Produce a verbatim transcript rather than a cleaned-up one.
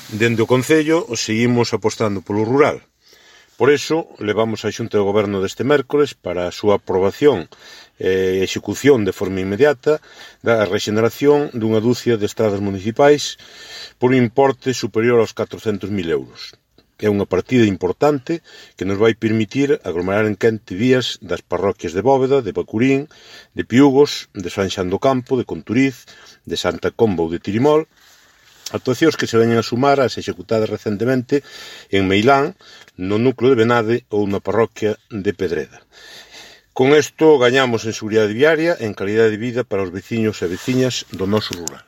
Dende o Concello seguimos apostando polo rural. Por iso, levamos á Xunta de Goberno deste mércores para a súa aprobación e execución de forma inmediata da rexeneración dunha dúcia de estradas municipais por un importe superior aos catrocentos mil euros. É unha partida importante que nos vai permitir aglomerar en quente vías das parroquias de Bóveda, de Bacurín, de Piúgos, de San Xan do Campo, de Conturiz, de Santa Comba ou de Tirimol, actuacións que se veñen a sumar ás executadas recentemente en Meilán, no núcleo de Benade ou na parroquia de Pedreda. Con isto gañamos en seguridade viaria e en calidade de vida para os veciños e veciñas do noso rural.